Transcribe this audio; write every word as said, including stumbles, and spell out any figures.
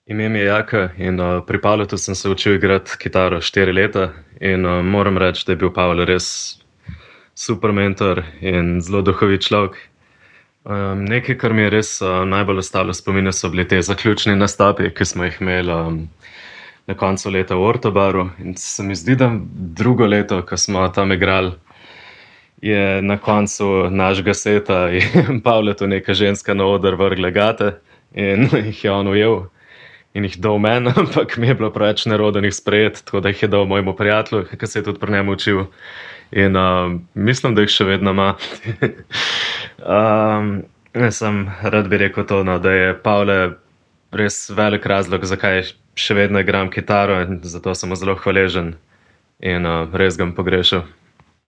Ime mi je Jaka in uh, pri Pavletu sem se učil igrati kitaro štiri leta in uh, moram reči, da je bil Pavel res super mentor in zelo duhovit človek. Um, nekaj, kar mi je res uh, najbolj ostalo v spominu, so bili te zaključni nastopi, ki smo jih imeli um, na koncu leta v Ortobaru. In se mi zdi, da drugo leto, ko smo tam igrali, je na koncu našega seta in Pavletu neka ženska na oder vrgla gate in jih je on ujel in jih dal meni, ampak mi je bilo preveč nerodno jih sprejeti, tako da jih je dal mojemu prijatelju, ki se je tudi pri njemu učil. In uh, mislim, da jih še vedno ima. um, jaz sem rad bi rekel to, no, da je Pavle res velik razlog, zakaj še vedno igram kitaro in zato sem mu zelo hvaležen in uh, res ga bom pogrešal.